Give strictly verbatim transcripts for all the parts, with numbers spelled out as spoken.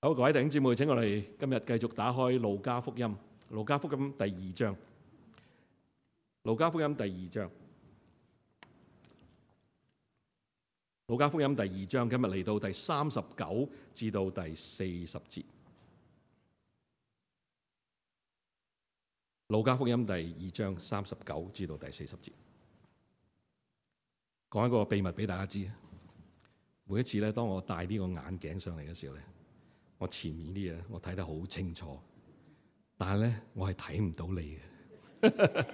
好，各位弟兄姊妹，請我哋今日繼續打開路加福音，路加福音第二章，路加福音第二章，路加福音第二章，今日嚟到第三十九至到第四十節。路加福音第二章三十九至到第四十節，講一個秘密俾大家知。每一次咧，當我戴呢個眼鏡上嚟嘅時候咧，我前面啲嘢我睇得好清楚，但係咧我係睇唔到你嘅，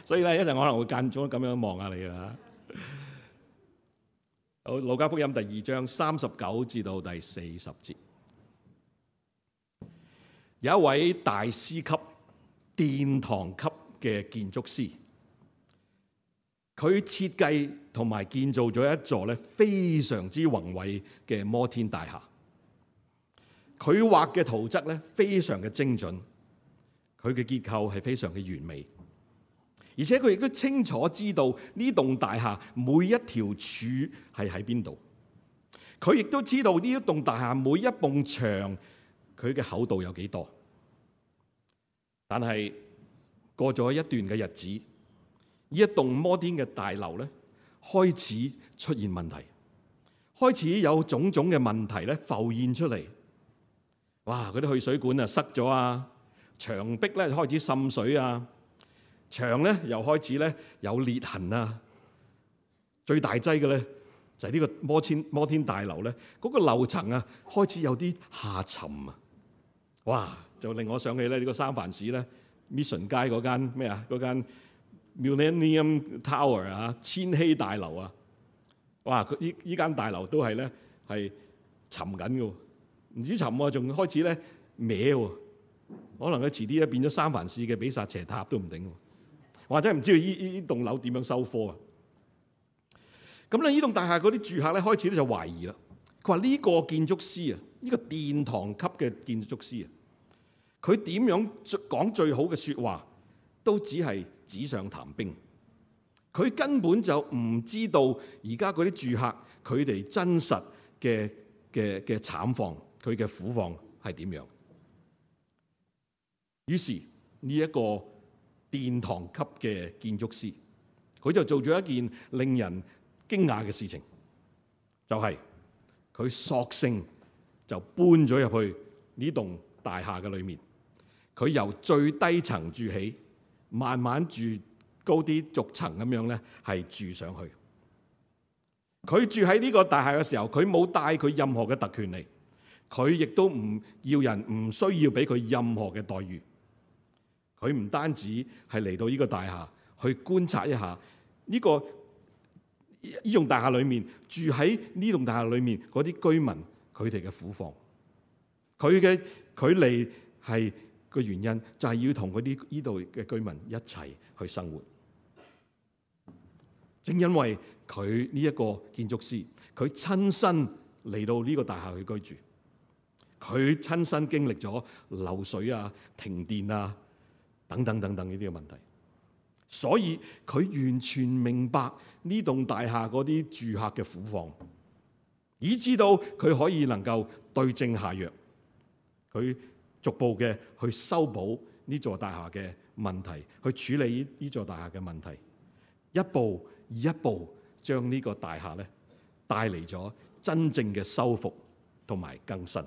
所以咧一陣我可能會間中咁樣望下你啊。好，路加福音第二章三十九至到第四十節，有一位大師級、殿堂級嘅建築師，佢設計同埋建造咗一座咧非常之宏偉嘅摩天大廈。佢畫嘅圖則咧非常嘅精準，佢嘅結構係非常嘅完美，而且佢亦都清楚知道呢棟大廈每一條柱係喺邊度。佢亦都知道呢一棟大廈每一埲牆佢嘅厚度有幾多。但係過咗一段嘅日子，呢一棟摩天嘅大樓咧開始出現問題，開始有種種嘅問題咧浮現出嚟。哇！嗰啲去水管啊塞咗啊，牆壁咧開始滲水啊，牆咧又開始咧有裂痕啊。最大劑嘅咧就係呢個摩天摩天大樓咧，嗰個樓層啊開始有啲下沉啊。哇！就令我想起咧呢個三藩市咧 Mission 街嗰間咩啊嗰間 Millennium Tower 啊，千禧大樓啊。哇！佢依依間大樓都係咧係沉緊嘅。唔止沉喎，仲開始咧歪喎，可能佢遲啲咧變咗三藩市嘅比薩斜塔都唔定，或者唔知道依依棟樓點樣收科啊？咁咧，呢棟大廈嗰啲住客咧開始咧就懷疑啦。佢話呢個建築師啊，呢個殿堂級嘅建築師啊，佢點樣講最好嘅説話，都只係紙上談兵。佢根本就唔知道而家嗰啲住客佢哋真實嘅嘅嘅慘況。佢嘅苦況係點樣？於是呢一個殿堂級嘅建築師，佢就做咗一件令人驚訝嘅事情，就係佢索性就搬咗入去呢棟大廈嘅裏面。佢由最低層住起，慢慢住高啲逐層咁樣咧，係住上去。佢住喺呢個大廈嘅時候，佢冇帶佢任何嘅特權嚟。佢亦都唔要人，唔需要俾佢任何嘅待遇。佢唔單止係嚟到呢個大廈去觀察一下呢個呢棟大廈裏面住喺呢棟大廈裏面嗰啲居民佢哋嘅苦況。佢嘅佢嚟係個原因就係要同嗰啲呢度嘅居民一齊去生活。正因為佢呢一個建築師，佢親身嚟到呢個大廈去居住。佢親身經歷咗漏水啊、停電啊等等等等呢啲嘅問題，所以佢完全明白呢棟大廈嗰啲住客嘅苦況，以至到佢可以能夠對症下藥，佢逐步嘅去修補呢座大廈嘅問題，去處理呢座大廈嘅問題，一步一步將呢個大廈咧帶嚟咗真正嘅修復同埋更新。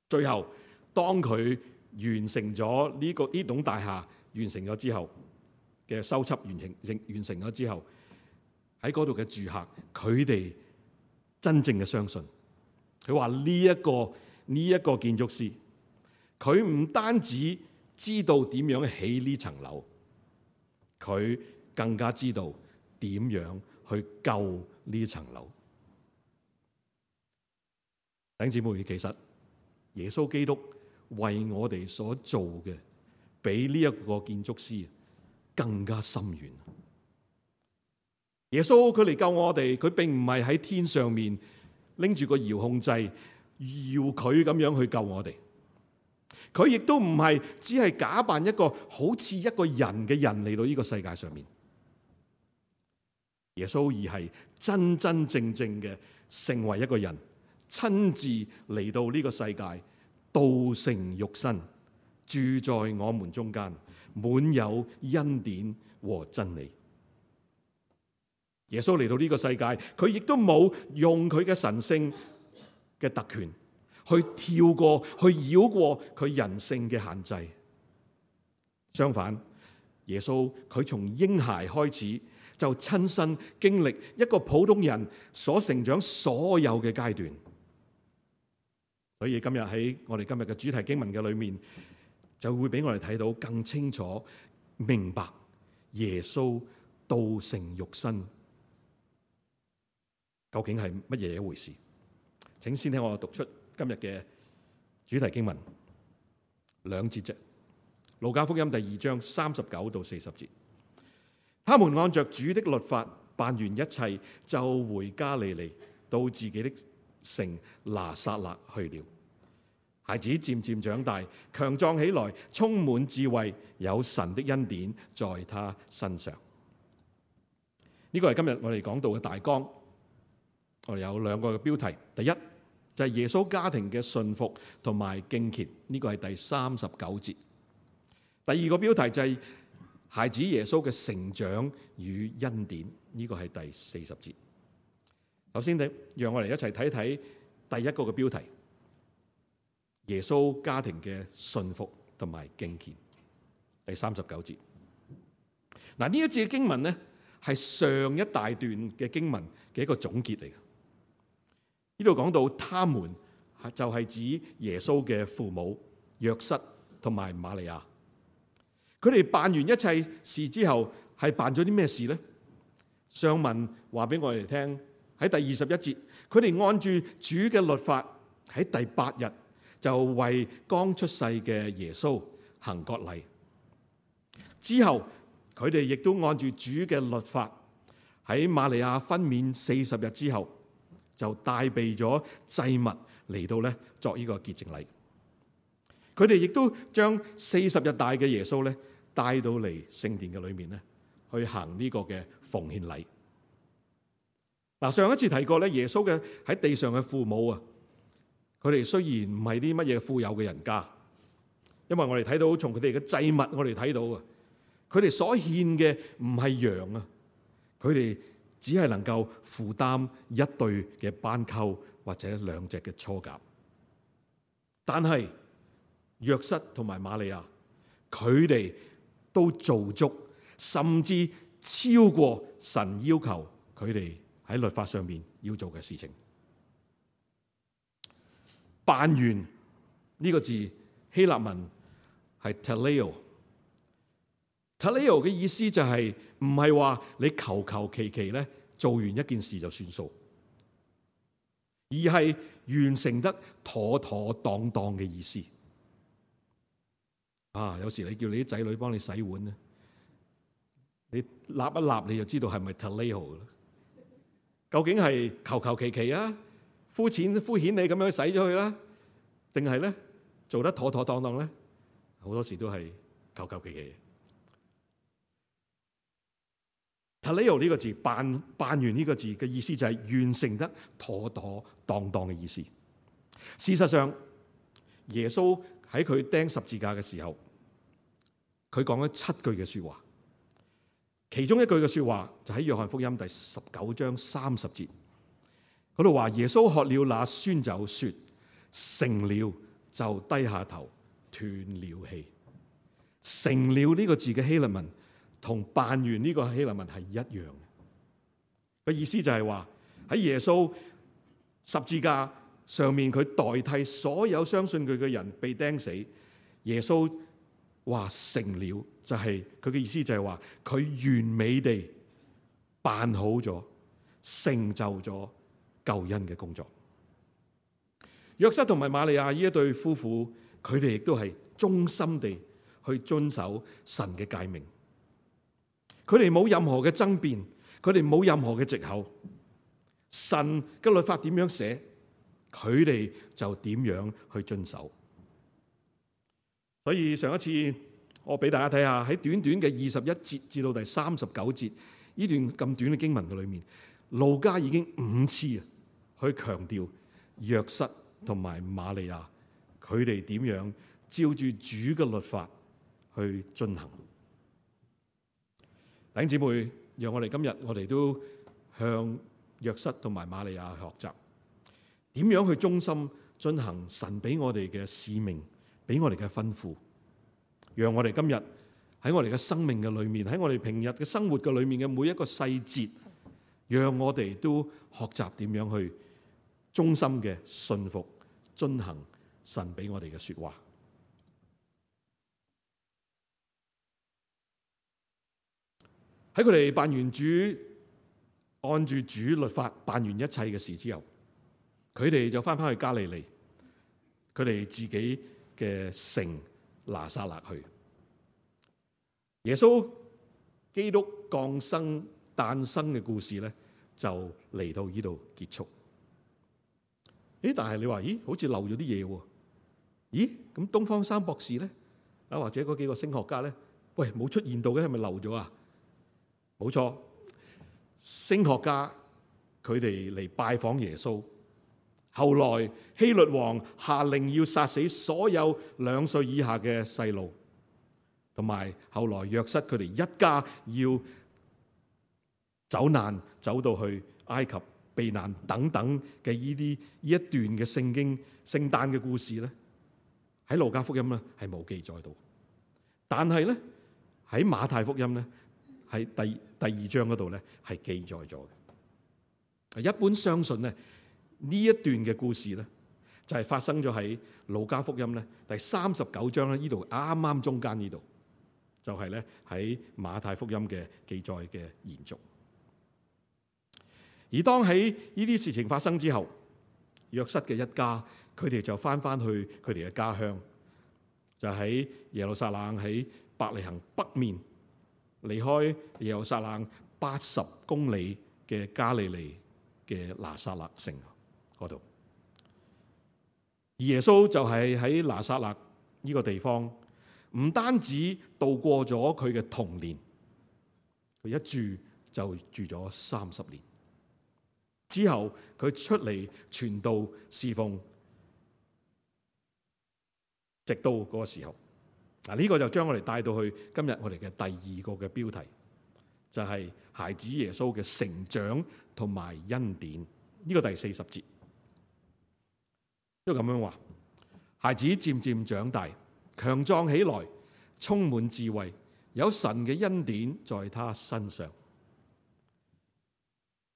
最後，當佢完成咗呢、這個呢棟大廈完成咗之後嘅修葺完成完成咗之後，喺嗰度嘅住客，佢哋真正嘅相信，佢話呢一個呢一、這個建築師，佢唔單止知道點樣起呢層樓，佢更加知道點樣去救呢層樓。弟兄姊妹，其實耶穌基督為我哋所做嘅，比呢一個建築師更加深遠。耶穌佢嚟救我哋，佢並唔係喺天上面拎住個遙控掣搖佢咁樣去救我哋。佢亦都唔係只係假扮一個好似一個人嘅人嚟到呢個世界上面。耶穌而係真真正正嘅成為一個人，親自嚟到呢個世界，道成肉身，住在我們中間，滿有恩典和真理。耶穌嚟到呢個世界，佢亦都冇用佢嘅神性嘅特權去跳過、去繞過佢人性嘅限制。相反，耶穌佢從嬰孩開始就親身經歷一個普通人所成長所有嘅階段。所以今日喺我哋今日嘅主題經文嘅裏面，就會俾我哋睇到更清楚明白耶穌道成肉身究竟係乜嘢一回事。請先聽我讀出今日嘅主題經文兩節啫。路加福音第二章三十九到四十節，他們按着主的律法辦完一切，就回加利利，到自己的城拿撒勒去了。孩子漸漸長大，強壯起來，充滿智慧，有神的恩典在他身上。呢個係今日我哋講到嘅大綱。我哋有兩個嘅標題，第一就係耶穌家庭嘅順服同埋敬虔，呢個係第三十九節。第二個標題就係孩子耶穌嘅成長與恩典，呢個係第四十節。首先，你讓我哋一齊睇睇第一個嘅標題，耶穌家庭嘅順服同埋敬虔，第三十九節。嗱，呢一節嘅經文呢，係上一大段嘅經文嘅一個總結嚟嘅。呢度講到他們就係指耶穌嘅父母約瑟同埋瑪利亞，佢哋辦完一切事之後係辦咗啲咩事呢？上文話俾我哋聽，喺第二十一節，佢哋按住主嘅律法喺第八日就為剛出世嘅耶穌行割禮，之後佢哋亦都按住主嘅律法喺瑪利亞分娩四十日之後，就帶備咗祭物嚟到咧作呢個潔淨禮。佢哋亦都將四十日大嘅耶穌咧帶到嚟聖殿嘅裏面咧，去行呢個嘅奉獻禮。嗱，上一次提過咧，耶穌嘅喺地上嘅父母啊，佢哋雖然唔係啲乜嘢富有嘅人家，因為我哋睇到從佢哋嘅祭物，我哋睇到啊，佢哋所獻嘅唔係羊啊，佢哋只係能夠負擔一對嘅斑鳩或者兩隻嘅雛鴿，但係約瑟同埋瑪利亞，佢哋都做足，甚至超過神要求佢哋喺律法上面要做嘅事情。辦完呢個字希臘文係 teleo， teleo 嘅意思就係唔係話你求求其其咧做完一件事就算數，而係完成得妥妥當當嘅意思。啊，有時你叫你啲仔女幫你洗碗咧，你立一立你就知道係咪 teleo 啦？究竟係求求其其啊，膚淺敷衍你咁樣洗咗佢啦，定係咧做得妥妥當當咧？好多時都係求求其其。teleo 呢個字，辦辦完呢個字嘅意思就係完成得妥妥當當嘅意思。事實上，耶穌喺佢釘十字架嘅時候，佢講咗七句嘅說話，其中一句嘅說話就喺約翰福音第十九章三十節嗰度話，耶穌喝了那酸酒，說成了，就低下頭斷了氣。成了呢個字嘅希臘文同辦完呢個希臘文係一樣嘅，個意思就係話喺耶穌十字架上面，佢代替所有相信佢嘅人被釘死。耶穌話成了，就係佢嘅意思就係話佢完美地辦好咗，成就咗救恩嘅工作。約瑟同埋瑪利亞呢一對夫婦，佢哋亦都係忠心地去遵守神嘅誡命。佢哋冇任何嘅爭辯，佢哋冇任何嘅藉口。神嘅律法點樣寫，佢哋就點樣去遵守。所以上一次我俾大家睇下喺短短嘅二十一節至到第三十九節呢段咁短嘅經文嘅裏面，路加已經五次啊去強調約瑟同埋瑪利亞，佢哋點樣照住主嘅律法去進行。弟兄姊妹，讓我哋今日我哋都向約瑟同埋瑪利亞學習，點樣去忠心進行神俾我哋嘅使命，俾我哋嘅吩咐，讓我哋今日喺我哋嘅生命嘅裏面，喺我哋平日嘅生活嘅裏面嘅每一個細節，讓我哋都學習點樣去忠心嘅信服遵行神俾我哋嘅說話。喺佢哋辦完主，按住主律法辦完一切嘅事之後，佢哋就翻返去加利利，佢哋自己嘅城拿撒勒去。耶穌基督降生誕生嘅故事咧，就嚟到呢度結束。咦？但係你話，咦？好似漏咗啲嘢喎？咦？咁東方三博士咧，啊或者嗰幾個星學家咧，喂冇出現到嘅，係咪漏咗啊？冇錯，星學家佢哋嚟拜訪耶穌。後來希律王下令要殺死所有兩歲以下嘅細路。同埋後來約瑟佢哋一家要走難走到去埃及避難等等嘅呢啲呢一段嘅聖經聖誕嘅故事咧，喺路加福音咧係冇記載到，但係咧喺馬太福音咧喺第第二章嗰度咧係記載咗嘅。一般相信咧呢一段嘅故事咧就係發生咗喺路加福音咧第三十九章咧呢度啱啱中間呢度。就係咧喺馬太福音嘅記載嘅延續。而當喺呢啲事情發生之後，約瑟嘅一家佢哋就翻翻去佢哋嘅家鄉，就喺耶路撒冷喺伯利恆北面，離開耶路撒冷八十公里嘅加利利嘅拿撒勒城嗰度。而耶穌就係喺拿撒勒呢個地方。唔單止度過咗佢嘅童年，佢一住就住咗三十年。之後佢出嚟傳道侍奉，直到嗰個時候。嗱，呢個就將我哋帶到去今日我哋嘅第二個嘅標題，就係孩子耶穌嘅成長同埋恩典。呢個第四十節，都咁樣話：孩子漸漸長大，強壯起來，充滿智慧，有神嘅恩典在他身上。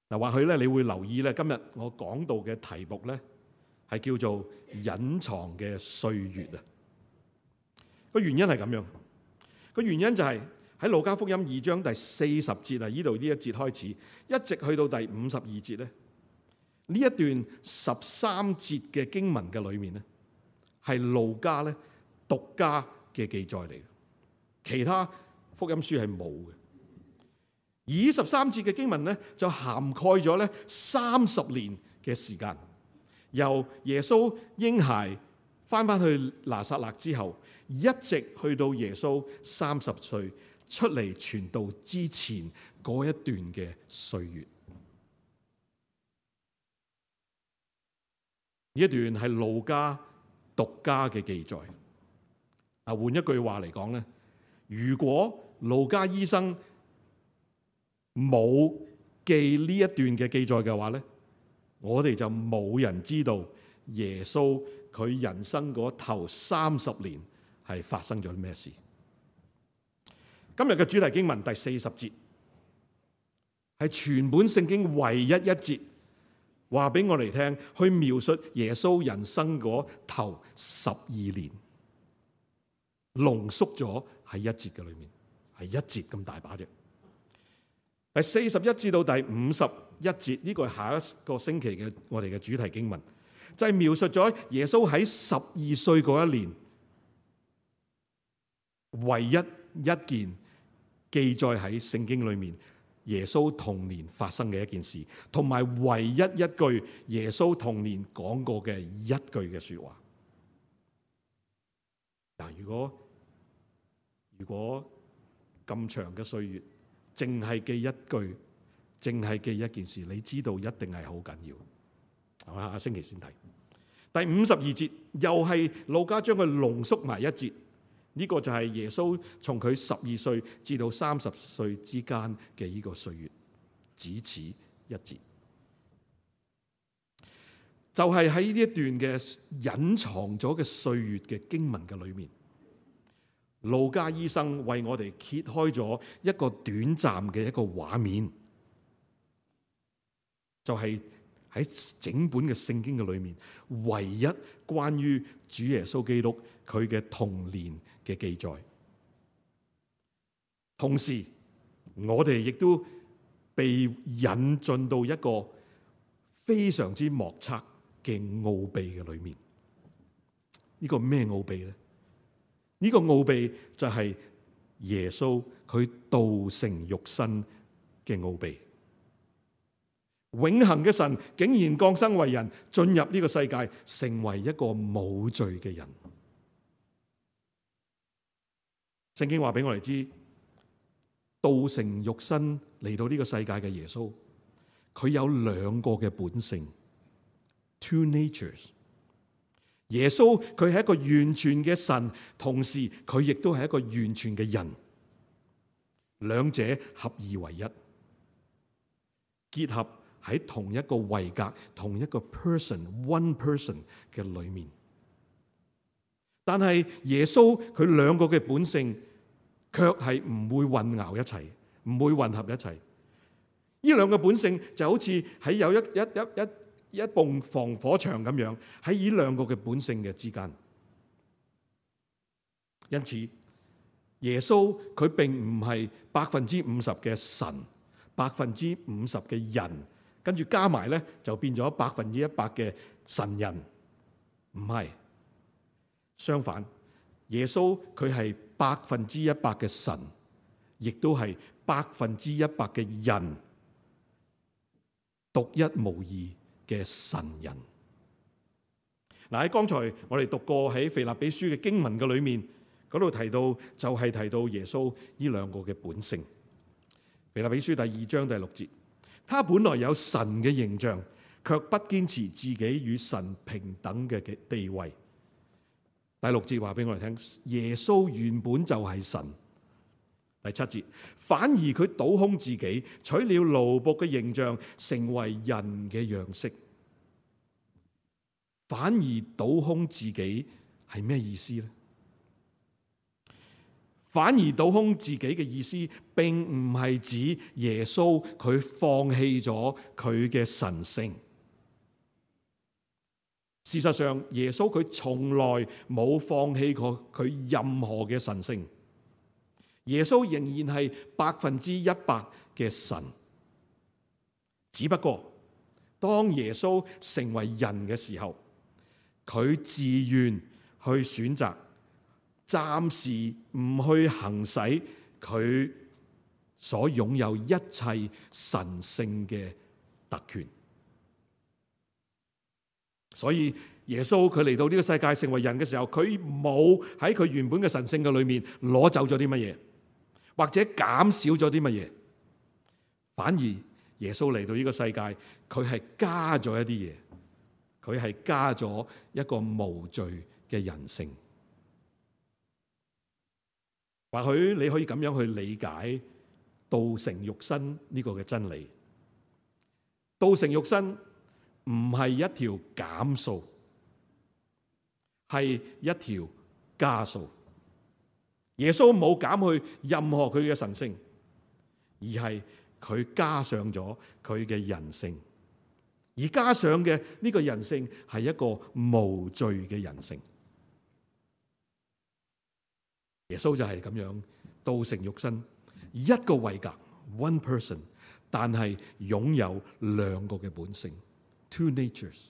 嗱，或許咧你會留意咧，今日我講到嘅題目咧係叫做隱藏嘅歲月啊。個原因係咁樣，個原因就係喺路加福音二章第四十節啊，呢度呢一節開始，一直去到第五十二節咧，呢一段十三節嘅經文嘅裏面咧，係路加咧獨家嘅記載嚟嘅，其他福音書係冇嘅。而呢十三節嘅經文咧，就涵蓋咗咧三十年嘅時間，由耶穌嬰孩翻翻去拿撒勒之後，一直去到耶穌三十歲出嚟傳道之前嗰一段嘅歲月。呢一段係路加獨家嘅記載。啊，換一句話嚟講咧，如果路加醫生冇記呢一段嘅記載嘅話咧，我哋就冇人知道耶穌佢人生嗰頭三十年係發生咗啲咩事。今日嘅主題經文第四十節係全本聖經唯一一節話俾我哋聽，去描述耶穌人生嗰頭十二年，濃縮咗喺一節嘅裏面，係一節咁大把啫。第四十一至到第五十一節，呢個係下一個星期嘅我哋嘅主題經文，就係描述咗耶穌喺十二歲嗰一年，唯一一件記載喺聖經裏面耶穌童年發生嘅一件事，同埋唯一一句耶穌童年講過嘅一句嘅說話。嗱，如果如果咁長嘅歲月，淨係記一句，淨係記一件事，你知道一定係好緊要。我下個星期先睇。第五十二節又係路加將佢濃縮埋一節，呢、這個就係耶穌從佢十二歲至到三十歲之間嘅呢個歲月，只此一節。就係喺呢一段嘅隱藏咗嘅歲月嘅經文嘅裏面，路加醫生為我哋揭開咗一個短暫嘅一個畫面，就係、是、喺整本嘅聖經嘅裏面，唯一關於主耶穌基督佢嘅童年嘅記載。同時，我哋亦都被引進到一個非常之莫測嘅奧秘嘅裏面。呢個咩奧秘呢？呢個奧秘就係耶穌佢道成肉身嘅奧秘。永恆嘅神竟然降生為人，進入呢個世界，成為一個冇罪嘅人。聖經話俾我哋知，道成肉身嚟到呢個世界嘅耶穌，佢有兩個嘅本性 ，two natures。耶穌佢係一個完全嘅神，同時佢亦都係一個完全嘅人，兩者合二為一，結合喺同一個位格、同一個 person、one person 嘅裏面。但係耶穌佢兩個嘅本性，卻係唔會混淆一齊，唔會混合一齊。呢兩個本性就好似喺有一一一一一埲防火牆咁樣，喺呢兩個嘅本性嘅之間。因此，耶穌佢並唔係百分之五十嘅神，百分之五十嘅人。跟住加埋咧，就變咗百分之一百嘅神人，唔係。相反，耶穌佢係百分之一百嘅神，亦都係百分之一百嘅人，獨一無二嘅神人。嗱，喺剛才我哋讀過喺腓立比書嘅經文嘅裏面，嗰度提到就係提到耶穌呢兩個嘅本性。腓立比書第二章第六節。他本來有神嘅形象，卻不堅持自己與神平等嘅地位。第六節話俾我哋聽，耶穌原本就係神。第七節，反而佢倒空自己，取了奴僕嘅形象，成為人嘅樣式。反而倒空自己係咩意思呢？反而倒空自己嘅意思，並唔係指耶穌佢放棄咗佢嘅神性。事實上，耶穌佢從來冇放棄過佢任何嘅神性。耶穌仍然係百分之一百嘅神。只不過，當耶穌成為人嘅時候，佢自願去選擇暫時唔去行使佢所擁有一切神性嘅特權，所以耶穌佢嚟到呢個世界成為人嘅時候，佢冇喺佢原本嘅神性嘅裏面攞走咗啲乜嘢，或者減少咗啲乜嘢，反而耶穌嚟到呢個世界，佢係加咗一啲嘢，佢係加咗一個無罪嘅人性。或許你可以咁樣去理解道成肉身呢個嘅真理。道成肉身唔係一條減數，係一條加數。耶穌冇減去任何佢嘅神性，而係佢加上咗佢嘅人性。而加上嘅呢個人性係一個無罪嘅人性。耶穌就係咁樣道成肉身，一個位格 one person， 但係擁有兩個嘅本性 two natures。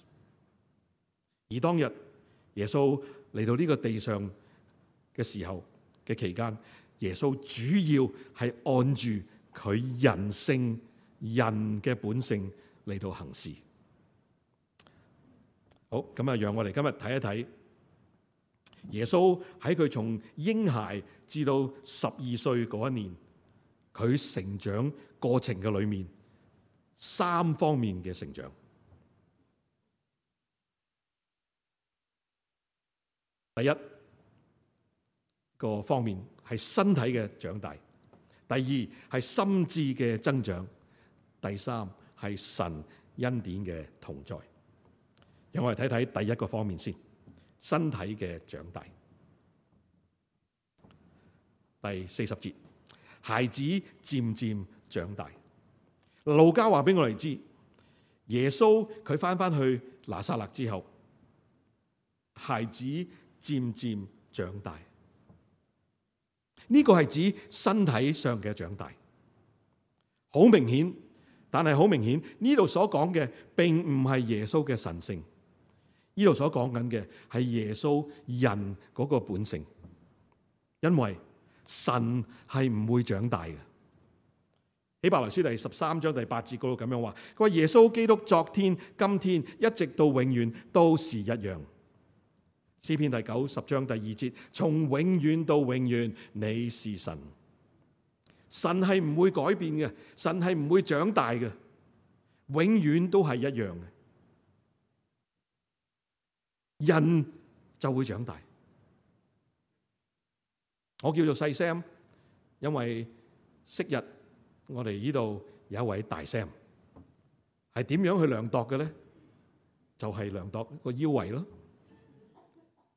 而當日耶穌嚟到呢個地上嘅時候嘅期間，耶穌主要係按住佢人性人嘅本性嚟到行事。好，咁啊，讓我哋今日睇一睇耶穌喺佢從嬰孩至到十二歲嗰一年，佢成長過程嘅裏面三方面嘅成長。第一個方面係身體嘅長大，第二係心智嘅增長，第三係神恩典嘅同在。讓我哋睇睇第一個方面先，身體嘅長大。第四十節，孩子漸漸長大。路加話俾我哋知，耶穌佢翻翻去拿撒勒之後，孩子漸漸長大。呢個係指身體上嘅長大，好明顯。但係好明顯，呢度所講嘅並唔係耶穌嘅神性，呢度所講緊嘅係耶穌人嗰個本性，因為神係唔會長大嘅。希伯來書第十三章第八節嗰度咁樣話，佢話耶穌基督昨天、今天一直到永遠都是一樣。詩篇第九十章第二節，從永遠到永遠你是神。神係唔會改變嘅，神係唔會長大嘅，永遠都係一樣嘅。人就會長大。我叫做細 Sam， 因為昔日我哋呢度有一位大 Sam， 係點樣去量度嘅咧？就係、是、量度個腰圍咯。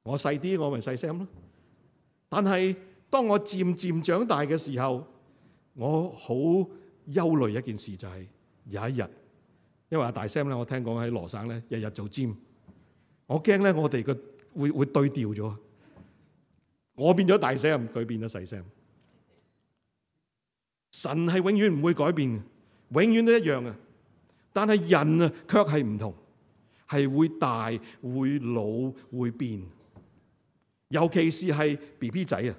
我細啲，我咪細 Sam 咯。但係當我漸漸長大嘅時候，我好憂慮一件事，就係有一日，因為阿大 Sam 咧，我聽講喺羅省咧，日日做 gym， 我驚咧我哋個會會對調咗，我變咗大 Sam， 佢變咗細 Sam。神係永遠唔會改變嘅，永遠都一樣嘅。但係人啊，卻係唔同，係會大、會老、會變。尤其是係 B B 仔啊！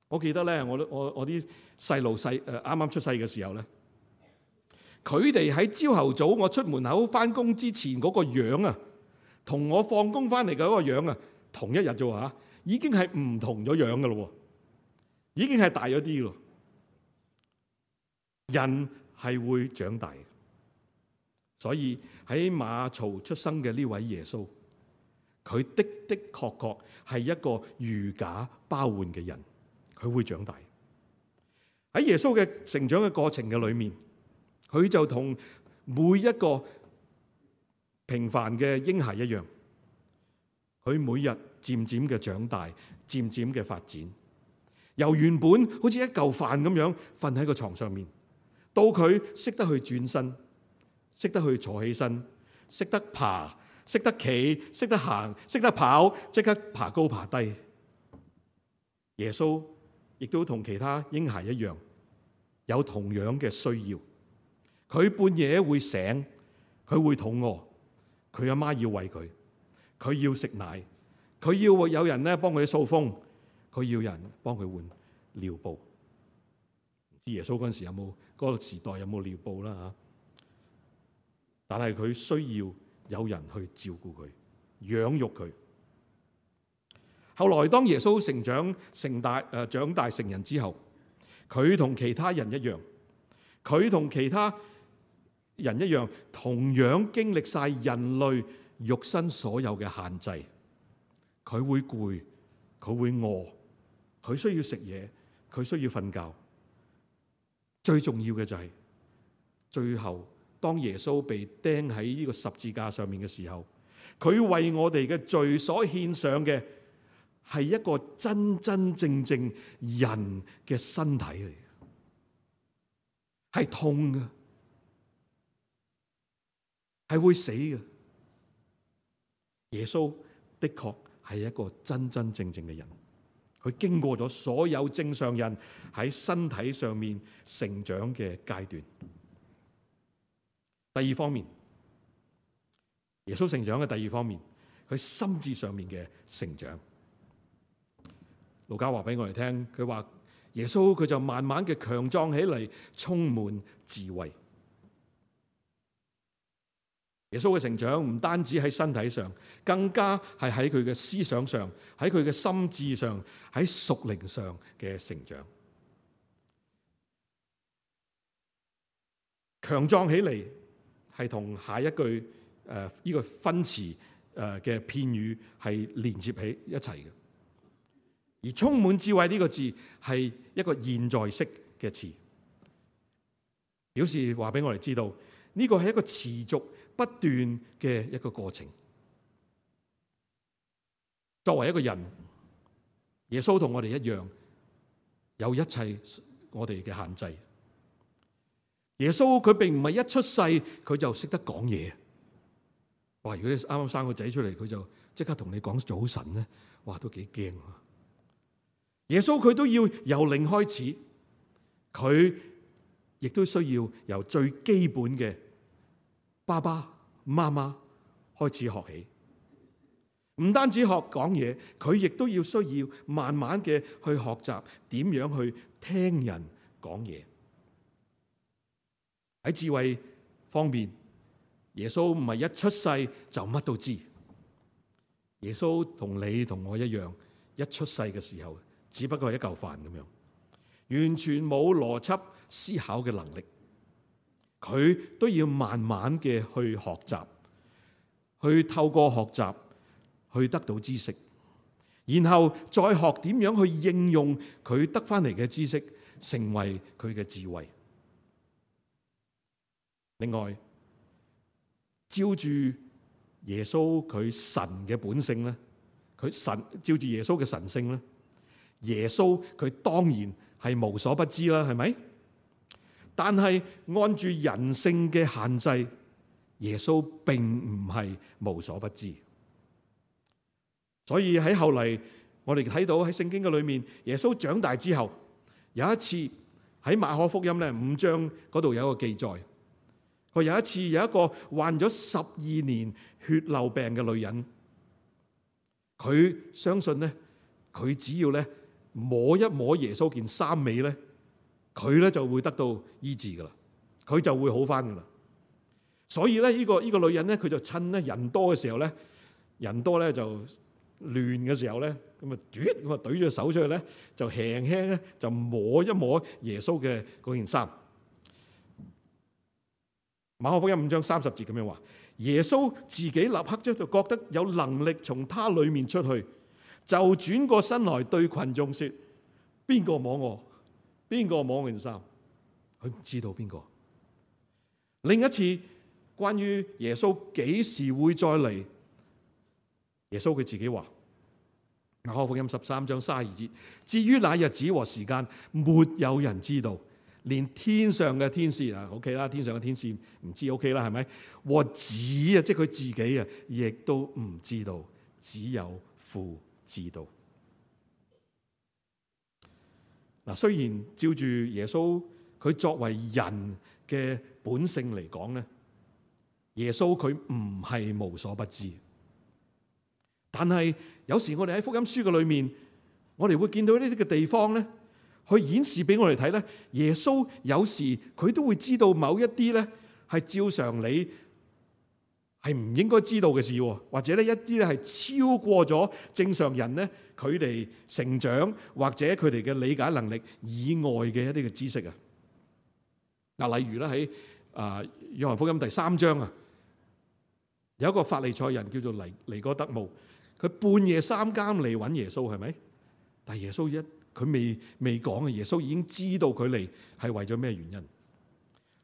我記得咧，我我我啲細路細誒啱啱出世嘅時候咧，佢哋喺朝頭早我出門口翻工之前嗰個樣啊，同我放工翻嚟嘅嗰個樣啊，同一日啫喎，已經係唔同咗樣噶咯，已經係大咗啲咯。人係會長大嘅，所以喺馬槽出生嘅呢位耶穌，佢的的確確係一個如假包換嘅人。佢會長大。喺耶穌嘅成長嘅過程嘅裏面，佢就同每一個平凡嘅嬰孩一樣，佢每日漸漸嘅長大，漸漸嘅發展，由原本好似一嚿飯咁樣瞓喺個床上面，到佢識得去轉身，識得去坐起身，識得爬，識得企，識得行，識得跑，即刻爬高爬低。耶穌亦都同其他嬰孩一樣，有同樣嘅需要。佢半夜會醒，佢會肚餓，佢阿媽要餵佢，佢要食奶，佢要有人咧幫佢掃風，佢要人幫佢換尿布。唔知耶穌嗰陣時有冇嗰個時代有冇尿布啦嚇？但係佢需要有人去照顧佢，養育佢。後來當耶穌成長成大誒長大成人之後，佢同其他人一樣，佢同其他人一樣，同樣經歷晒人類肉身所有嘅限制。佢會攰，佢會餓，佢需要食嘢，佢需要瞓覺。最重要嘅就係最後，當耶穌被釘喺呢個十字架上面嘅時候，佢為我哋嘅罪所獻上嘅，係一個真真正正人嘅身體嚟嘅，係痛嘅，係會死嘅。耶穌的確係一個真真正正嘅人，佢經過咗所有正常人喺身體上面成長嘅階段。第二方面，耶穌成長嘅第二方面，佢心智上面嘅成長。路加話俾我哋聽，佢話耶穌佢就慢慢嘅強壯起嚟，充滿智慧。耶穌嘅成長唔單止喺身體上，更加係喺佢嘅思想上，喺佢嘅心智上，喺屬靈上嘅成長。強壯起嚟係同下一句誒呢個分詞誒嘅片語係連接起一齊嘅。而充滿智慧呢個字係一個現在式嘅詞，表示話俾我哋知道呢個係一個持續不斷嘅一個過程。作為一個人，耶穌同我哋一樣，有一切我哋嘅限制。耶穌佢並唔係一出世佢就識得講嘢。哇！如果你啱啱生個仔出嚟，佢就即刻同你講早晨咧，哇，都幾驚啊！耶穌佢都要由零開始，佢亦都需要由最基本嘅爸爸媽媽開始學起。唔單止學講嘢，佢亦都要需要慢慢嘅去學習點樣去聽人講嘢。喺智慧方面，耶穌唔係一出世就乜都知。耶穌同你同我一樣，一出世嘅時候只不過係一嚿飯咁樣，完全冇邏輯思考嘅能力。佢都要慢慢嘅去學習，去透過學習去得到知識，然後再學點樣去應用佢得翻嚟嘅知識，成為佢嘅智慧。另外，照住耶穌佢神嘅本性咧，佢神照住耶穌嘅神性咧，耶穌佢當然係無所不知啦，係咪？但係按住人性嘅限制，耶穌並唔係無所不知。所以喺後嚟，我哋睇到喺聖經嘅裏面，耶穌長大之後，有一次喺馬可福音咧五章嗰度有一個記載，佢有一次有一個患咗十二年血漏病嘅女人，佢相信咧，佢只要咧摸一摸耶穌件衫尾咧，佢咧就會得到醫治噶啦，佢就會好翻噶啦。所以咧呢個呢個女人咧，佢就趁咧人多嘅時候咧，人多咧就亂嘅時候咧，咁啊，咁啊，懟咗手出去咧，就輕輕咧就摸一摸耶穌嘅嗰件衫。馬可福音五章三十節咁樣話，耶穌自己立刻就覺得有能力從他裏面出去，就轉過身來對群眾說：邊個摸我？邊個摸我件衫？佢唔知道邊個。另一次關於耶穌幾時會再嚟，耶穌佢自己話，馬可福音十三章三十二節，至於那日子和時間，沒有人知道，連天上嘅天使啊 ，OK 啦，天上嘅天使唔知 OK 啦，係咪？和子啊，即係佢自己啊，亦都唔知道，只有父知道。嗱，雖然照住耶穌佢作為人嘅本性嚟講咧，耶穌佢唔係無所不知。但係有時我哋喺福音書嘅裏面，我哋會見到呢啲嘅地方咧，去顯示俾我哋睇咧，耶穌有時佢都會知道某一啲咧係照常理係唔應該知道嘅事，或者咧一啲咧係超過咗正常人咧佢哋成長或者佢哋嘅理解能力以外嘅一啲嘅知識啊。嗱，例如咧喺啊約翰福音第三章啊，有一個法利賽人叫做尼尼哥德慕。佢半夜三更嚟揾耶穌，係咪？但係耶穌一佢未未講嘅，耶穌已經知道佢嚟係為咗咩原因。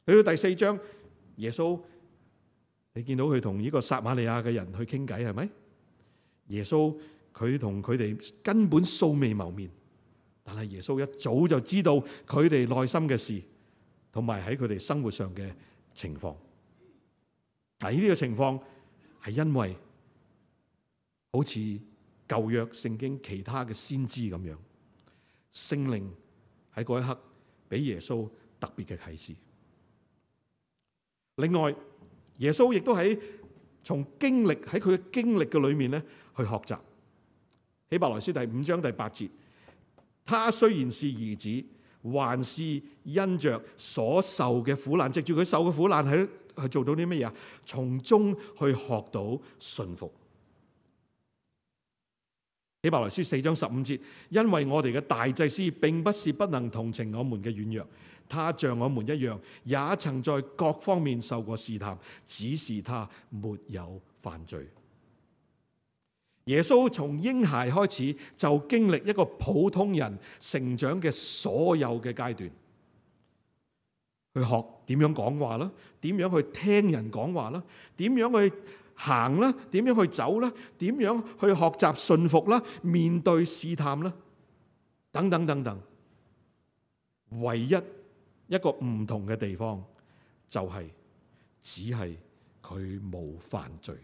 去到第四章，耶穌你見到佢同呢個撒瑪利亞嘅人去傾偈，係咪？耶穌佢同佢哋根本素未謀面，但係耶穌一早就知道佢哋內心嘅事，同埋喺佢哋生活上嘅情況。嗱，呢個情況係因為好似舊約聖經其他嘅先知咁樣，聖靈喺嗰一刻俾耶穌特別嘅啟示。另外，耶穌亦都喺從經歷喺佢嘅經歷嘅裏面咧去學習。希伯來書第五章第八節，他雖然是兒子，還是因着所受嘅苦難，藉住佢受嘅苦難喺去做到啲乜嘢啊？從中去學到順服。希伯來書四章十五節，因為我哋嘅大祭司並不是不能同情我們嘅軟弱，他像我們一樣，也曾在各方面受過試探，只是他沒有犯罪。耶穌從嬰孩開始就經歷一個普通人成長嘅所有嘅階段，去學點樣講話啦，點樣去聽人講話啦，點樣去行啦，點樣去走啦，點樣去學習順服啦，面對試探啦，等等等等。唯一一個唔同嘅地方就係只係佢冇犯罪。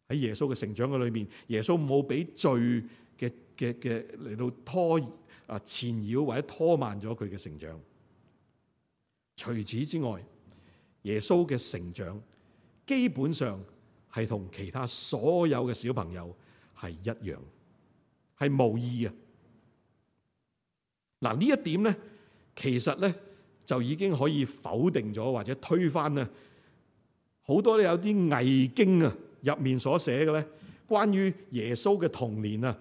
喺耶穌嘅成長嘅裏面，耶穌冇俾罪嘅嘅嘅嚟到拖啊纏繞或者拖慢咗佢嘅成長。除此之外，耶穌嘅成長基本上係同其他所有嘅小朋友係一樣，係無異嘅。嗱，呢一點咧，其實咧就已經可以否定咗或者推翻咧好多有啲偽經啊入面所寫嘅咧，關於耶穌嘅童年啊，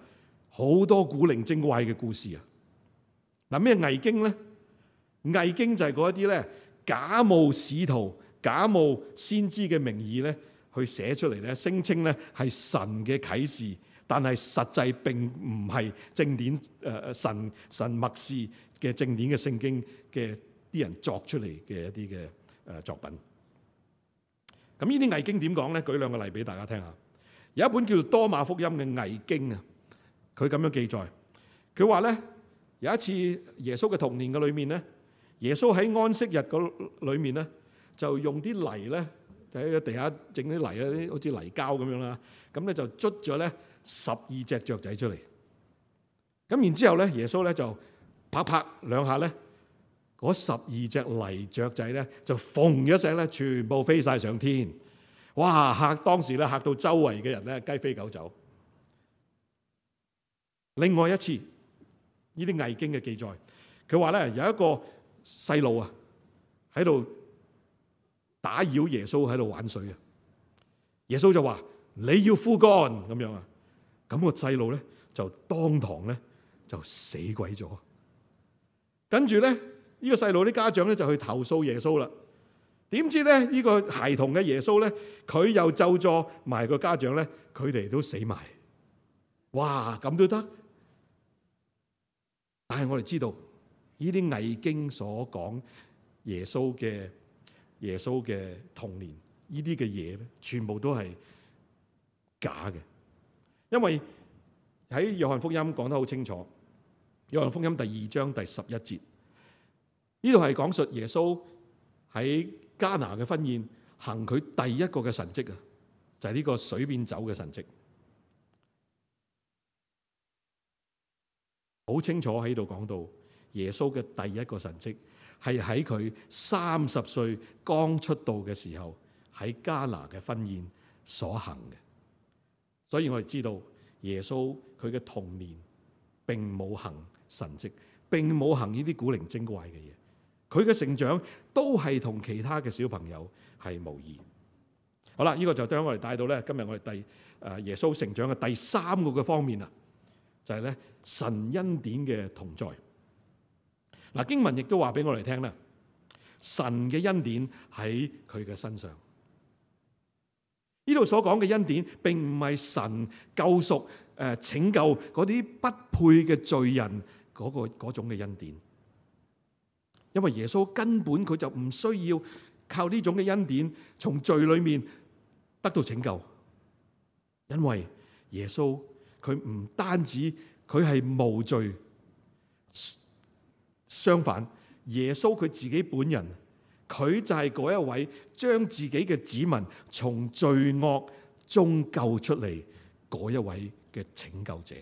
好多古靈精怪嘅故事啊。嗱，咩偽經咧？偽經就係嗰一啲咧假冒使徒、假冒先知嘅名義咧，去寫出嚟咧，聲稱咧係神嘅啟示，但係實際並唔係正典誒神神默示嘅正典嘅聖經嘅啲人作出嚟嘅一啲嘅誒作品。咁呢啲偽經點講咧？舉兩個例俾大家聽下。有一本叫做《多馬福音》嘅偽經啊，佢咁樣記載，佢話咧有一次耶穌嘅童年嘅裏面咧，耶穌喺安息日嗰裏面咧，就用啲泥咧，就喺個地下整啲泥咧，好似泥膠咁樣啦。咁咧就捽咗咧十二隻雀仔出嚟。咁然之後咧，耶穌咧就拍拍兩下咧，嗰十二隻泥雀仔咧就嘣一聲咧，全部飛晒上天。哇！嚇當時咧嚇到周圍嘅人咧雞飛狗走。另外一次呢啲偽經嘅記載，佢話咧有一個細路啊喺度打擾耶穌喺度玩水啊。耶穌就話：你要枯乾咁樣啊。咁個細路咧就當堂咧就死鬼咗。跟住咧呢個細路啲家長咧就去投訴耶穌啦。點知咧呢個孩童嘅耶穌咧，佢又咒詛埋個家長咧，佢哋都死埋。哇！咁都得？但係我哋知道呢啲偽經所講耶穌嘅耶穌嘅童年呢啲嘅嘢咧，全部都係假嘅。因為喺約翰福音講得好清楚，約翰福音第二章第十一節，呢度係講述耶穌喺迦拿嘅婚宴行佢第一個嘅神蹟啊，就係呢個水變酒嘅神蹟，好清楚喺度講到耶穌嘅第一個神蹟係喺佢三十歲剛出道嘅時候喺迦拿嘅婚宴所行嘅。所以我哋知道耶穌佢嘅童年並冇行神蹟，並冇行呢啲古靈精怪嘅嘢。佢嘅成長都係同其他嘅小朋友係無異。好啦，呢個就將我哋帶到咧今日我哋第誒耶穌成長嘅第三個嘅方面啊，就係咧神恩典嘅同在。嗱，經文亦都話俾我哋聽咧，神嘅恩典喺佢嘅身上。呢度所講嘅恩典並唔係神救贖誒拯救嗰啲不配嘅罪人嗰個嗰種嘅恩典。因為耶穌根本佢就唔需要靠呢種嘅恩典從罪裏面得到拯救，因為耶穌佢唔單止佢係無罪，相反耶穌佢自己本人，佢就係嗰一位將自己嘅子民從罪惡中救出嚟嗰一位嘅拯救者。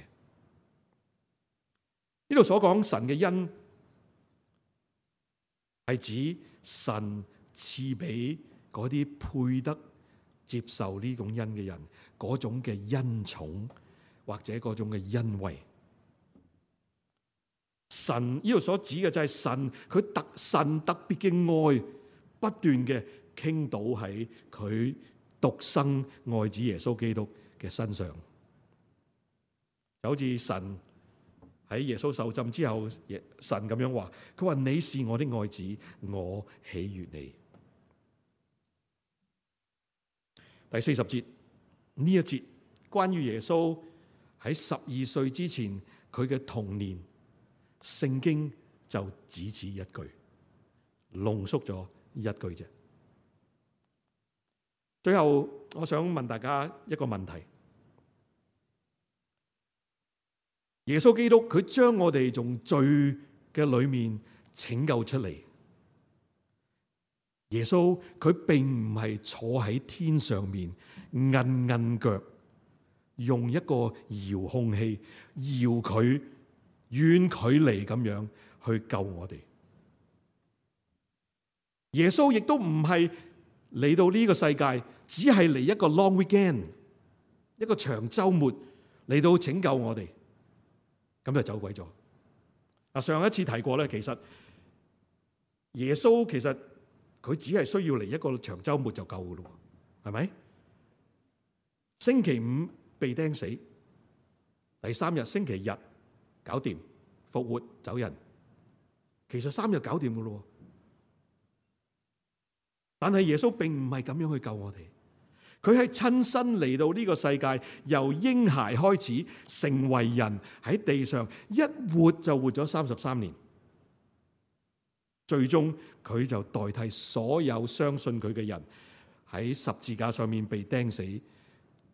呢度所講神嘅恩，係指神賜俾嗰啲配得接受呢種恩嘅人嗰種嘅恩寵或者嗰種嘅恩惠。神呢度所指嘅就係神佢特神特別嘅愛不斷嘅傾倒喺佢獨生愛子耶穌基督嘅身上，就好似神喺耶穌受浸之後，神咁樣話，佢話你是我的愛子，我喜悅你。第四十節呢一節關於耶穌喺十二歲之前佢嘅童年，聖經就只此一句，濃縮咗一句啫。最後我想問大家一個問題：耶穌基督佢將我哋從罪嘅裏面拯救出嚟。耶穌佢並唔係坐喺天上面韌韌腳，用一個遙控器搖佢遠距離咁樣去救我哋。耶穌亦都唔係嚟到呢個世界，只係嚟一個 long weekend， 一個長週末嚟到拯救我哋，咁就走鬼咗。啊，上一次提過咧，其實耶穌其實佢只係需要嚟一個長週末就夠噶咯，係咪？星期五被釘死，第三日星期日搞掂，復活走人，其實三日搞掂噶咯。但係耶穌並唔係咁樣去救我哋，佢係親身嚟到呢個世界，由嬰孩開始成為人，喺地上一活就活咗三十三年。最終佢就代替所有相信佢嘅人喺十字架上面被釘死，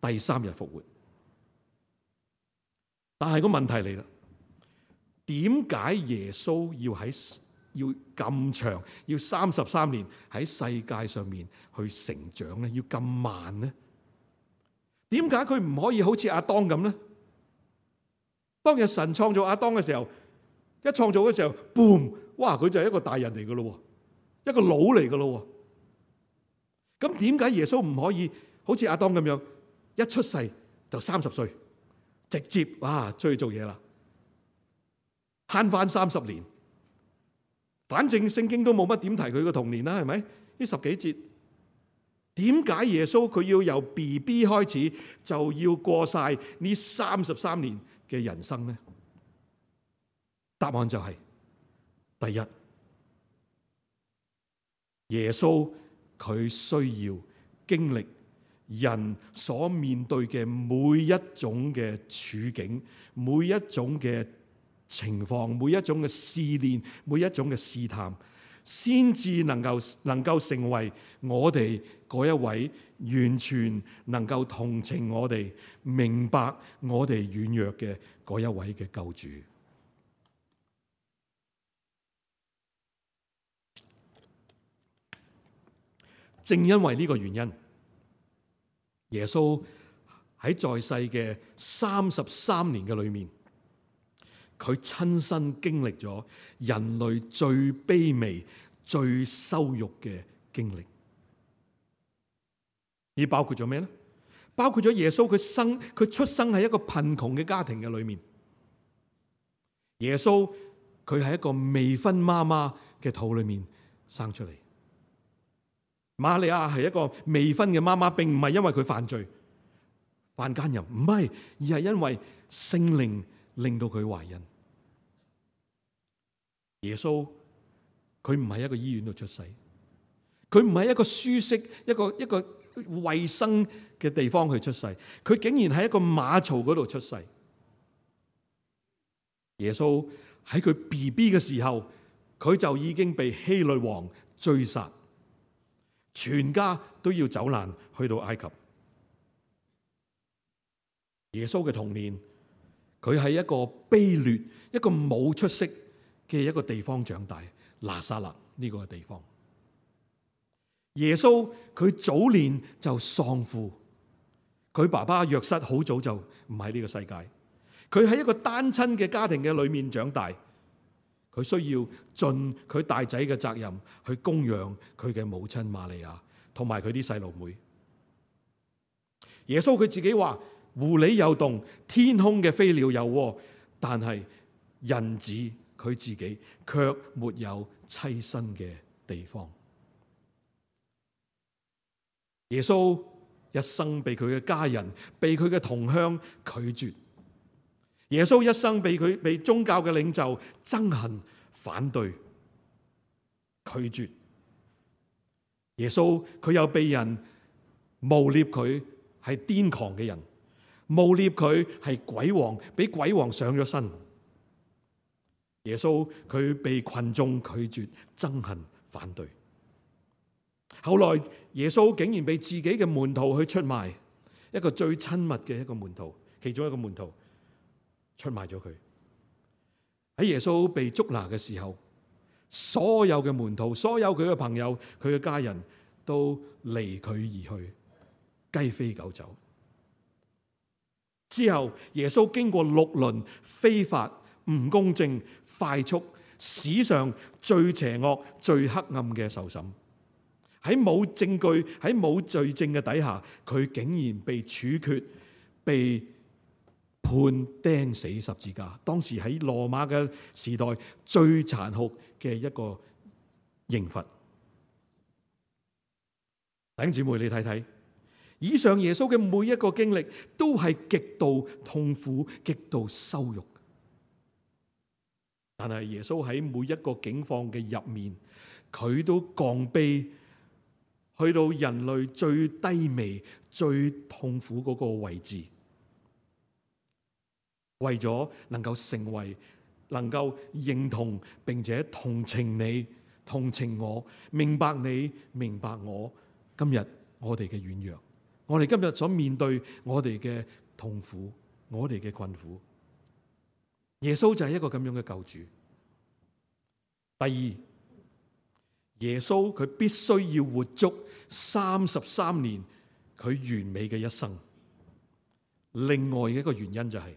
第三日復活。但係個問題嚟啦，點解耶穌要喺要咁長，要三十三年喺世界上面去成長咧？要咁慢咧？點解佢唔可以好似亞當咁咧？當日神創造亞當嘅時候，一創造嘅時候 boom， 哇！佢就係一個大人嚟噶咯，一個佬嚟噶咯。咁點解耶穌唔可以好似亞當咁樣，一出世就三十歲，直接哇出去做嘢啦，慳翻三十年？反正聖經都冇乜點提佢個童年啦，係咪？呢十幾節，點解耶穌佢要由 B B 開始就要過晒呢三十三年嘅人生呢？答案就係、是、第一，耶穌佢需要經歷人所面對嘅每一種嘅處境，每一種嘅情況，每一種嘅試煉，每一種嘅試探，先至能夠能夠成為我哋嗰一位完全能夠同情我哋、明白我哋軟弱嘅嗰一位嘅救主。正因為呢個原因，耶穌喺在世嘅三十三年嘅裏面，佢親身經歷咗人類最卑微、最羞辱嘅經歷。而包括咗咩咧？包括咗耶穌佢生佢出生喺一個貧窮嘅家庭嘅裏面。耶穌佢係一個未婚媽媽嘅肚裏面生出嚟。瑪利亞係一個未婚嘅媽媽，並唔係因為佢犯罪犯奸淫，唔係，而係因為聖靈令到佢懷孕。耶穌佢唔係一個醫院度出世，佢唔係一個舒適、一個一個衛生嘅地方去出世，佢竟然喺一個馬槽嗰度出世。耶穌喺佢 B B 嘅時候，佢就已經被希律王追殺，全家都要走難去到埃及。耶穌嘅童年，佢喺一個卑劣、一個冇出息嘅一個地方長大，拿撒勒呢個地方。耶穌佢早年就喪父，佢爸爸約瑟好早就唔喺呢個世界，佢喺一個單親嘅家庭嘅裏面長大，佢需要盡佢大仔嘅責任去供養佢嘅母親瑪利亞同埋佢啲細路妹。耶穌佢自己話：狐狸有洞，天空嘅飛鳥有窩，但係人子佢自己卻沒有棲身嘅地方。耶穌一生被佢嘅家人、被佢嘅同鄉拒絕。耶穌一生被佢被宗教嘅領袖憎恨、反對、拒絕。耶穌佢又被人誣衊佢係癲狂嘅人，誣衊佢係鬼王，俾鬼王上咗身。耶穌佢被群眾拒絕、憎恨、反對。後來耶穌竟然被自己嘅門徒去出賣，一個最親密嘅一個門徒，其中一個門徒出賣咗佢。喺耶穌被捉拿嘅時候，所有嘅門徒、所有佢嘅朋友、佢嘅家人都離佢而去，雞飛狗走。之後耶穌經過六輪非法、唔公正、快速、史上最邪惡、最黑暗嘅受審。喺冇證據、喺冇罪證嘅底下，佢竟然被處決、被判釘死十字架。當時喺羅馬嘅時代最殘酷嘅一個刑罰。弟兄姊妹，你睇睇，以上耶穌嘅每一個經歷都係極度痛苦、極度羞辱。但係耶穌喺每一個境況嘅入面，佢都降卑，去到人類最低微、最痛苦嗰個位置，為咗能夠成為、能夠認同並且同情你、同情我、明白你、明白我。今日我哋嘅軟弱，我哋今日所面對我哋嘅痛苦、我哋嘅困苦，耶穌就係一個咁樣嘅救主。第二，耶穌佢必須要活足三十三年佢完美嘅一生。另外嘅一個原因就係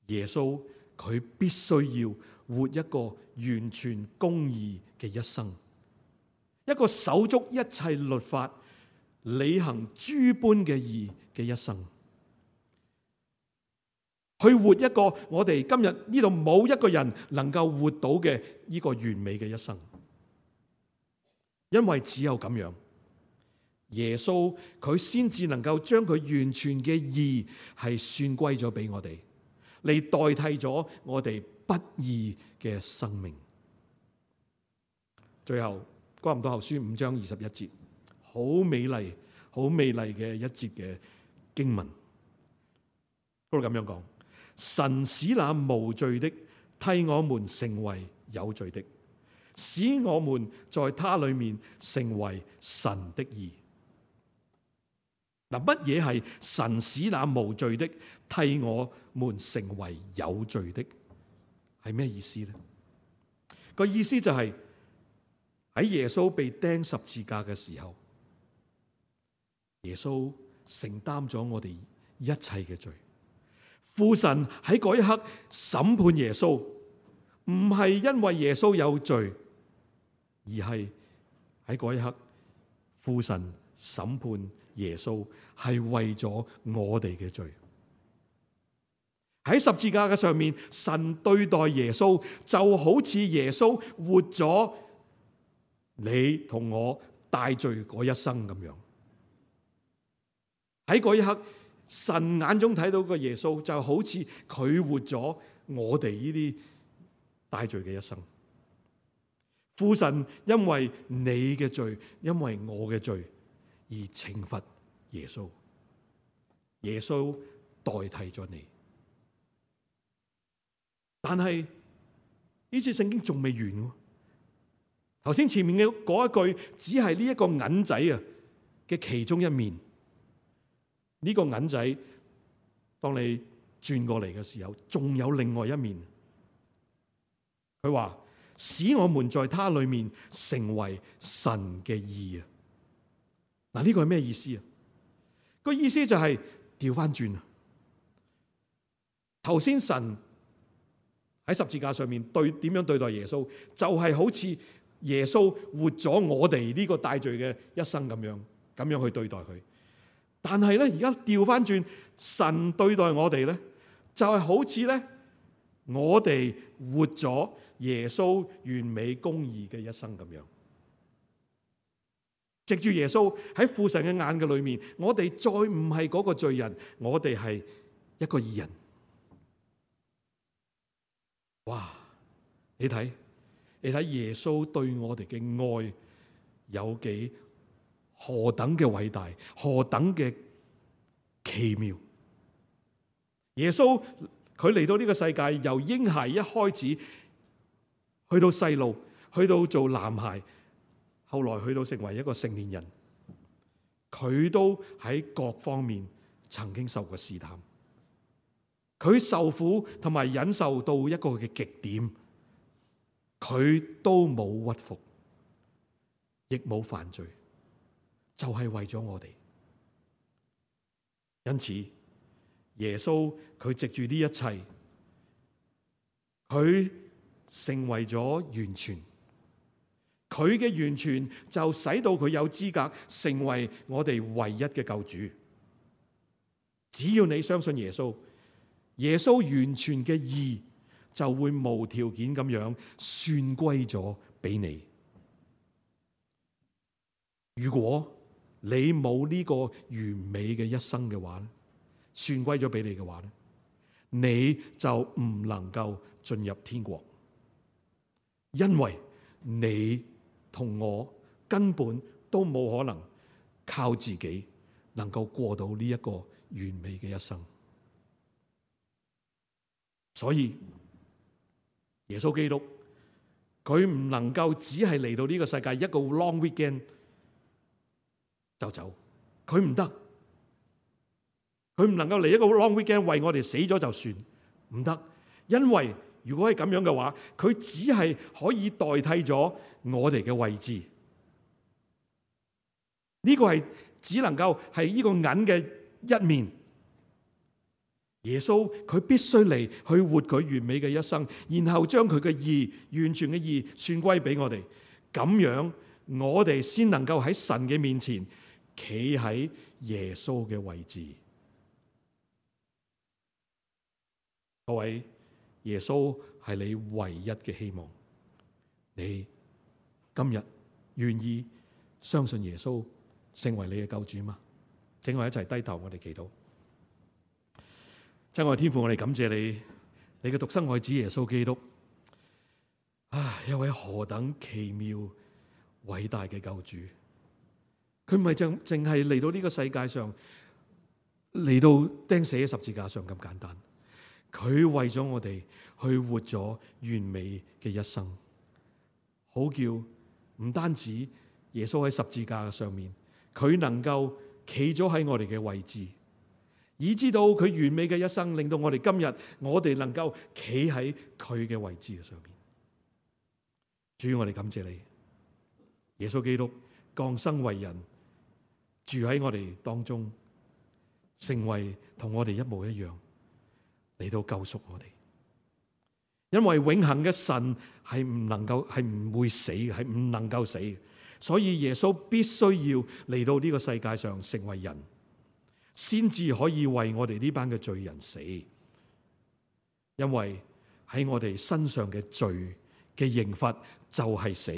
耶穌佢必須要活一個完全公義嘅一生，一個守足一切律法、履行諸般嘅義嘅一生，去活一個我哋今日呢度冇一個人能夠活到嘅呢個完美嘅一生。因為只有咁樣，耶穌佢先至能夠將佢完全嘅義係算歸咗俾我哋，嚟代替咗我哋不義嘅生命。最後，哥林多後書五章二十一節，好美麗、好美麗嘅一節嘅經文，嗰度咁樣講：神使那無罪的替我們成為有罪的，使我們在他裏面成為神的義。嗱，乜嘢係神使那無罪的替我們成為有罪的？係咩意思呢？個意思就係喺耶穌被釘十字架嘅時候，耶穌承擔咗我哋一切嘅罪。父神喺嗰一刻審判耶穌，唔係因為耶穌有罪，而係喺嗰一刻，父神審判耶穌係為咗我哋嘅罪。喺十字架嘅上面，神對待耶穌就好似耶穌活咗你同我大罪嗰一生咁樣。喺嗰一刻，神眼中睇到個耶穌就好似佢活咗我哋呢啲大罪嘅一生。父神因為你嘅罪，因為我嘅罪而懲罰耶穌，耶穌代替咗你。但係呢次聖經仲未完。頭先前面嘅嗰一句只係呢一個銀仔啊嘅其中一面。呢個銀仔當你轉過嚟嘅時候，仲有另外一面。佢話使我們在他裏面成為神嘅義啊！嗱，呢個係咩意思啊？個意思就係調翻轉啊！頭先神喺十字架上面對點樣對待耶穌，就係好似耶穌活咗我哋呢個大罪嘅一生咁樣，咁樣去對待佢。但係咧，而家調翻轉，神對待我哋咧，就係好似咧，我哋活咗耶穌完美公義嘅一生咁樣。藉住耶穌喺父神嘅眼嘅裏面，我哋再唔係嗰個罪人，我哋係一個義人。哇！你睇，你睇耶穌對我哋嘅愛有幾何等嘅偉大，何等嘅奇妙！耶穌佢嚟到呢個世界，由嬰孩一開始去到細路，去到做男孩，後來去到成為一個成年人，佢都喺各方面曾經受過試探。佢受苦同埋忍受到一個嘅極點，佢都冇屈服，亦冇犯罪，就係為咗我哋。因此耶穌佢藉住呢一切，佢成為咗完全，佢嘅完全就使到佢有資格成為我哋唯一嘅救主。只要你相信耶穌，耶穌完全嘅義就會無條件咁樣算歸咗俾你。如果你冇呢個完美嘅一生嘅話咧，算歸咗俾你嘅話咧，你就唔能夠進入天國，因為你同我根本都冇可能靠自己能夠過到呢一個完美嘅一生。所以耶穌基督佢唔能夠只係嚟到呢個世界一個 long weekend 就走，佢唔得，佢唔能夠嚟一個 long weekend 為我哋死咗就算，唔得。因為如果係咁樣嘅話，佢只係可以代替咗我哋嘅位置。呢個係只能夠係呢個銀嘅一面。耶穌佢必須嚟去活佢完美嘅一生，然後將佢嘅義完全嘅義算歸俾我哋，咁樣我哋先能夠喺神嘅面前企喺耶穌嘅位置。各位，耶穌係你唯一嘅希望。你今日願意相信耶穌成為你嘅救主嗎？請我一齊低頭，我哋祈禱。親愛的天父，我哋感謝你，你嘅獨生愛子耶穌基督，啊，一位何等奇妙偉大嘅救主。佢唔係淨淨係嚟到呢個世界上，嚟到釘死喺十字架上咁簡單。佢為咗我哋去活咗完美嘅一生，好叫唔單止耶穌喺十字架上面，佢能夠企咗喺我哋嘅位置，以知道佢完美嘅一生，令到我哋今日我哋能夠企喺佢嘅位置上面。主，我哋感謝你，耶穌基督降生為人，住喺我哋當中，成為同我哋一模一樣，嚟到救贖我哋。因為永恆嘅神係唔能夠，係唔會死嘅，係唔能夠死嘅，所以耶穌必須要嚟到呢個世界上成為人，先至可以為我哋呢班嘅罪人死。因為喺我哋身上嘅罪嘅刑罰就係死，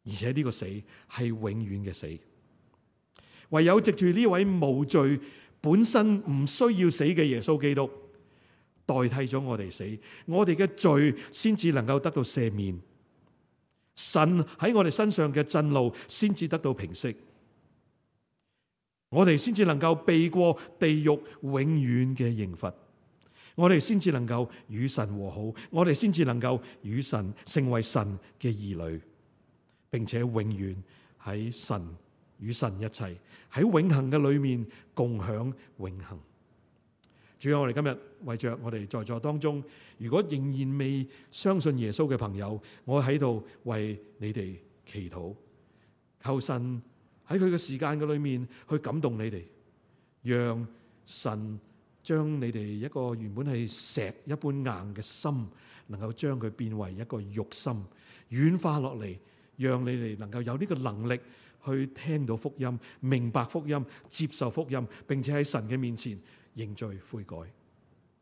而且呢個死係永遠嘅死。唯有藉住呢位無罪、本身唔需要死嘅耶穌基督，代替咗我哋死，我哋嘅罪先至能夠得到赦免，神喺我哋身上嘅震怒先至得到平息，我哋先至能夠避過地獄永遠嘅刑罰，我哋先至能夠與神和好，我哋先至能夠與神成為神嘅兒女，並且永遠喺神與神一齊喺永恆嘅裏面共享永恆。主啊，我哋今日為着我哋在座當中，如果仍然未相信耶穌嘅朋友，我喺度為你哋祈禱，求神喺佢嘅時間嘅裏面去感動你哋，讓神將你哋一個原本係石一般硬嘅心，能夠將佢變為一個肉心，軟化落嚟，讓你哋能夠有呢個能力去聽到福音、明白福音、接受福音，並且喺神嘅面前認罪悔改。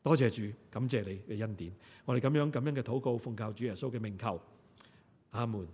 多謝主，感謝你嘅恩典。我哋咁樣咁樣嘅禱告，奉靠主耶穌嘅名求，阿門。